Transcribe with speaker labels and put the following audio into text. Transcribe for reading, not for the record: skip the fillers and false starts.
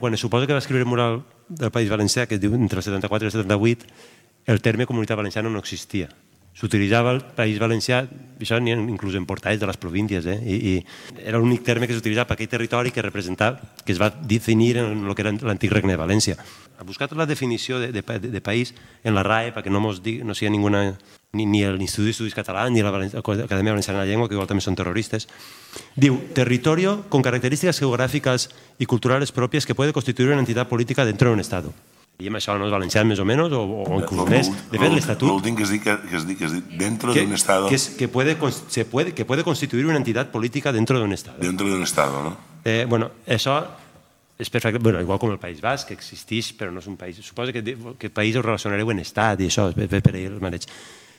Speaker 1: Quan es suposa que va escriure el mural del País Valencià, que es diu entre el 74 i el 78, el terme comunitat valenciana no existia. S'utilitzava el País Valencià, això n'hi ha inclús en portals de les províncies, i era l'únic terme que s'utilitzava per aquell territori que representava, que es va definir en el que era l'antic Regne de València. Ha buscat la definició de país en la RAE perquè no sigui ninguna, ni l'Institut d'Estudis Catalans ni l'Acadèmia Valenciana de la Llengua, que igual també són terroristes. Diu, territorio con características geográficas y culturales propias que puede constituir una entidad política dentro de un Estado. I amb això no és valencià més o menys, o inclús més. De fet, l'Estatut...
Speaker 2: L'últim que has dit, dentro de un Estado...
Speaker 1: Que puede constituir una entidad política dentro de un Estado.
Speaker 2: Dentro de un Estado, no?
Speaker 1: Bueno, això és perfecte, igual com el País Basc, que existeix, però no és un país. Suposo que el país ho relacionareu en Estat i això, per ahir el maneig.